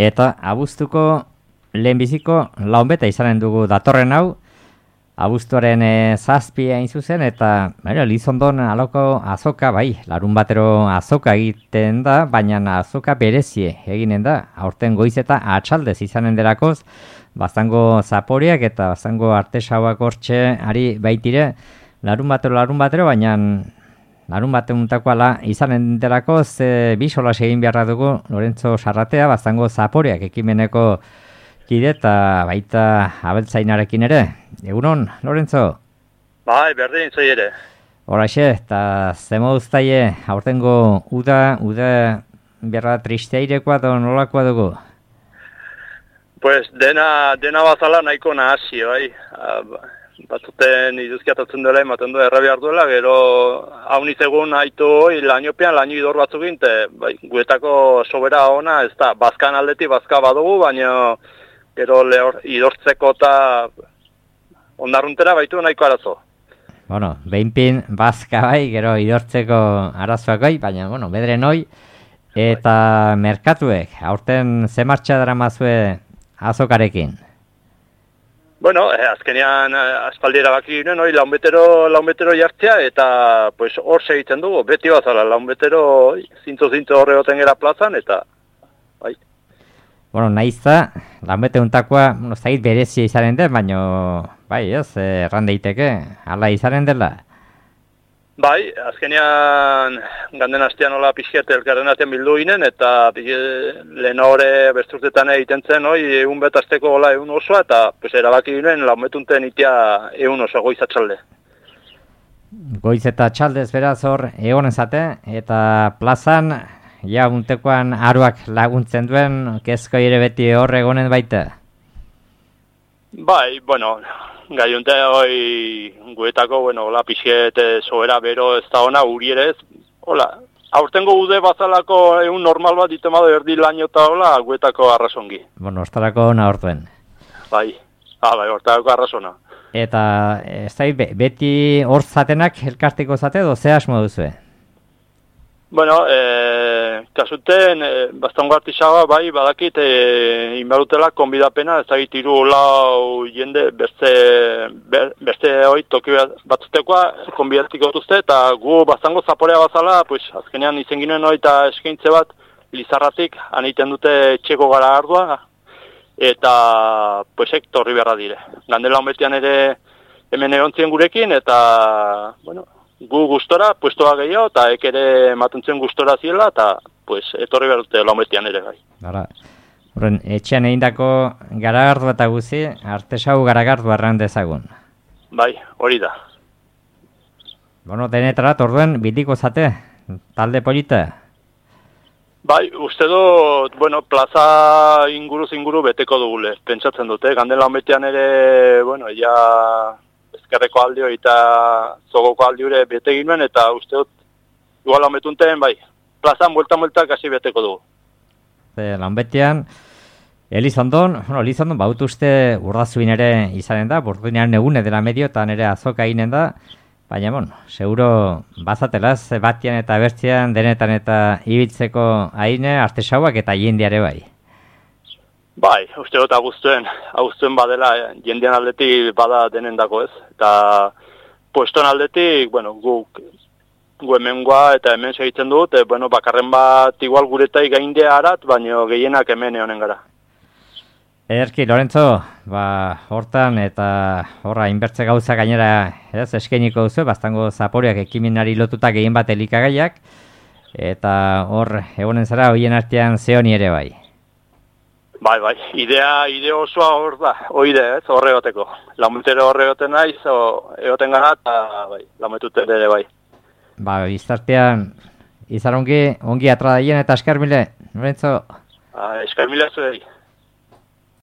Eta abuztuko lehenbiziko launbeta izanen dugu datorren hau, abuztuaren zazpia hain zuzen, eta Elizondon aloko azoka, bai, larun batero azoka egiten da, baina azoka berezie eginen da, aurten goiz eta atxaldez izanen delakoz, baztango zaporeak eta baztango artesauak hortxe ari baitire, larun batero, baina larun batemuntako ala izanen delakoz, bi solas egin beharra dugu Lorentzo Sarratea, baztango zaporeak ekimeneko kide eta baita abeltzainarekin ere. Egunon, Lorentzo? Bai, berdin zoi ere. Horaxe, eta zemo duztaie, aurtengo uda berra tristeirekoa da nolakoa dugu? Pues dena bazala nahiko nahasi, bai. Batzuten iduzkiatatzen dela, ematen du errabi duela, gero hauniz egun haitu hoi, lainopean, laino idor batzukin, bai, guetako sobera ona, ez da, bazkan aldetik bazka badugu, baina gero idortzeko eta ondarruntera baitu nahiko arazo. Bueno, behinpin bazka bai, gero idortzeko arazoak bai, baina, bedren hoi, eta merkatuek, aurten ze martxa dara mazue azokarekin? Bueno, azkenean aspaldiera baki ginen, launbetero jartzea, eta pues, hor segitzen dugu, beti bazala, launbetero zintzo horre goten gara plazan, eta bai. Bueno, nahiza, launbete untakoa, zait berezia izanen den, baina, bai, erran daiteke, ala izanen dela? Bai, azkenean ganden astean hola pixket elkarren atean bildu ginen, eta lehen hori besturtetan egiten zen, egun betazteko hola egun osoa, eta pues, erabaki ginen launbetunten itea egun osoa goiz atxalde. Goiz eta txaldez beraz hor egonen zate, eta plazan, ja untekoan aruak laguntzen duen, kezko ere beti hor egonen baita? Bai, bueno, gaiunte hoi guetako, hola, pixet soera bero ez da ona, uri ere ez, hola, aurtengo ude bazalako egun normal bat ditemado erdi laino eta hola, guetako arrazongi. Bueno, ostarako ona hortuen. Bai, hortarako arrazona. Eta, ez da, beti hor zatenak elkarteko zate, ze asmo duzue? Bueno, kasuten, bastongo artisaua, bai, badakit, inbarutela konbidapena, ez dakit iru lau jende, beste hoi toki batzutekoa konbidatiko duzte, eta gu bastango zaporea bazala, pues, azkenean izen ginen hoi eta eskaintze bat, Lizarratik, aniten dute txeko gara ardua, eta, pues, torri beharra dire. Gandela honbetian ere hemen egontzien gurekin, eta, bueno, gu gustora, puestoa gehiago, eta ere matuntzen gustora ziela, eta pues, etorri behar dute laumetian ere gai. Horren, etxean egindako garagardu eta guzi, artesau garagardu arran dezagun. Bai, hori da. Bueno, denetarat, orduen, bitiko zate, talde polita? Bai, uste dut, plaza inguru beteko dugule, pentsatzen dute, ganden laumetian ere, ja... ezkerreko aldio eta zogoko aldiure bete ginen, eta uste dut, igual lanbetunten, bai, plazan buelta kasi beteko dugu. Lanbetian, Elizondon baut uste urdazuin ere izanen da, burduinean egune dela medio, eta nire azoka eginen da, baina, seguro bazatelaz, batian eta bertzean, denetan eta ibiltzeko haine, artesauak eta jendeare bai. Bai, uste dut abuztuen badela, jendean aldetik bada denendako ez. Eta pueston aldetik, gu hemengoa eta hemen segitzen dut, bakarren bat igual guretai gaindea arat, baina gehienak hemen egonen gara. Ederki, Lorentzo, hortan eta horra inbertze gauza gainera eskainiko duzu, baztango zaporeak ekimenari lotuta gehien bat elikagaiak, eta hor egonen zara hoien artean zeoni ere bai. Bai, idea osoa hor da, ez, horre goteko. Lametero horre goten naiz, egoten gara, eta lametuten ere bai. Biztartean, izar ongi atradaien eta eskar mile, Lorentzo? Eskar mile zuei.